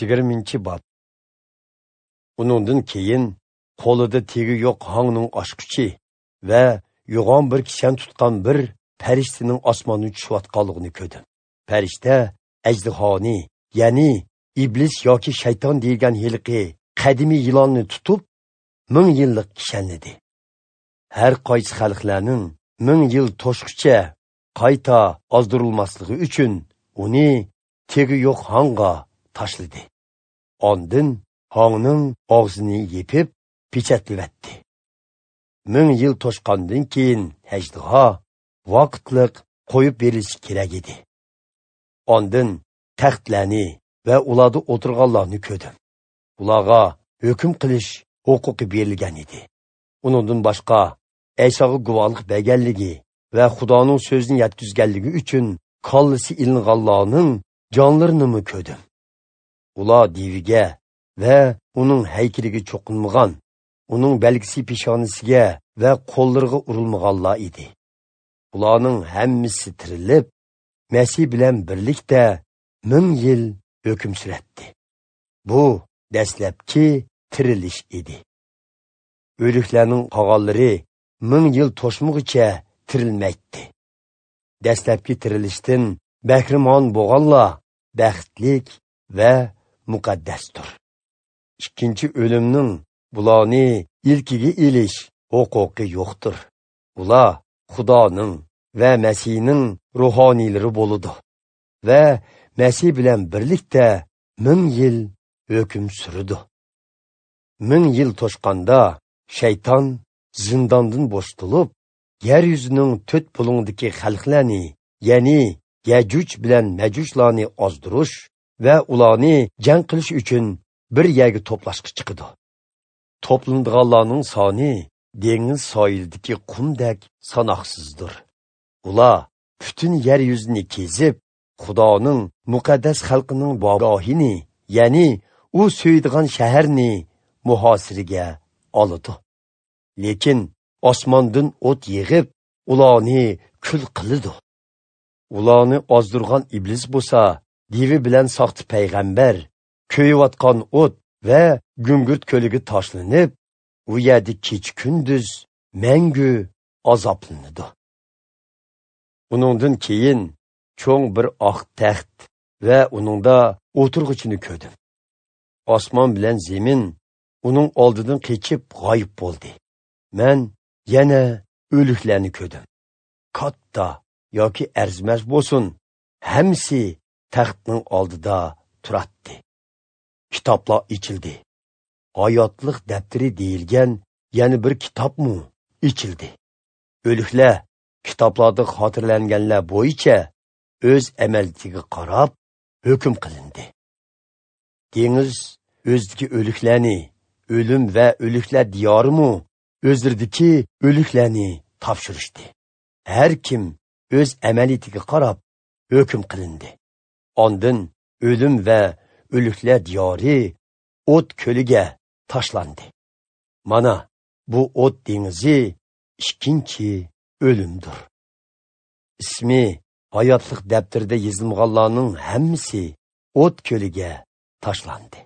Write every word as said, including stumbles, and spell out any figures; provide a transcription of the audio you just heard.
Yigirminchi bob. Uningdan keyin qo'lida tegi yo'q hongning ochqichi va yo'g'on bir kishan tutgan bir farishtaning osmondan tushayotganligini ko'rdim. Farishta ajdihoni, ya'ni iblis yoki shayton deyilgan heliqi qadimiy yilonni tutib, ming yillik kishanladi. Har qaysi xalqlarning ming yil to'shqicha qayta ozdirilmasligi uchun uni tegi yo'q hongga tashladi. Ondin hongning og'zini yepib pechatlayotdi. Ming yil to'shqandan keyin ajdiho vaqtliq qo'yib berilishi kerak edi. Ondin taxtlarni va ularda o'tirganlarni ko'rdim. Ularga hukm qilish huquqi berilgan edi. Uningdan boshqa Aysoga guvohlik berganligi va Xudoning so'zini yetkazganligi uchun kallasi ilinganlarning jonlarini ko'rdim. Ular deviga va uning haykaliga cho'qinmagan, uning belgisi peshonasiga va qo'llariga urilmaganlar edi. Ularning hammasi tirilib, Masih bilan birlikda ming yil hukm suratdi. Bu dastlabki tirilish edi. O'liklarning qolganlari ming yil to'shmag'icha tirilmaydi. Dastlabki tirilishdan bahrimon bo'lganlar baxtlik va muqaddasdir. Ikkinchi o'limning bularni ilkiga ilish huquqi yo'qdir. Ular Xudoning va Masihning ruhoniylari bo'ladi va Masih bilan birlikda ming yil hukm suradi. Ming yil to'shqanda shayton zindondan bo'shatilib, yer yuzining to'rt bulungdagi xalqlarni, ya'ni Yajuj bilan Majujlarni ozdirish va ularni jang qilish uchun bir yerga to'plashga chiqadi. To'plandiganlarning soni dengiz sohilidagi qumdek sanoqsizdir. Ular butun yer yuzini kezib, Xudoning muqaddas xalqining bogohini, ya'ni u so'ydigan shaharni muhosiraga oladi. Lekin osmondan o't yig'ib, ularni kul qiladi. Ularni ozdirgan iblis bo'lsa, devi bilan soxta payg'ambar ko'yayotgan o't va gungurt ko'liga tashlanib, u yerda kecha kunduz mangu azoblanadi. Uningdan keyin cho'ng bir oq taxt va uningda o'tirg'ichini ko'rdim. Osmon bilan zemin uning oldidan qechib g'oyib bo'ldi. Men yana o'liklarni ko'rdim. Katta yoki arzimas bo'lsin, hammasi taxtning oldida turatdi. Kitoblar ichildi. Hayotlik daftari deyilgan yana bir kitobmi ichildi. O'liklar kitoblarda xotirlanganlar bo'yicha o'z amalligiga qarab hukm qilindi. Dengiz o'zidagi o'liklarni, o'lim va o'liklar diyorimi o'zlaridagi o'liklarni topshirishdi. Har kim o'z amaliyatiga qarab hukm qilindi. Ondin o'lim va o'liklar diyori o't ko'liga tashlandi. Mana bu o't dengizi ikkinchi o'limdir. Ismi hayotlik daftarida yozilganlarning hammasi o't ko'liga tashlandi.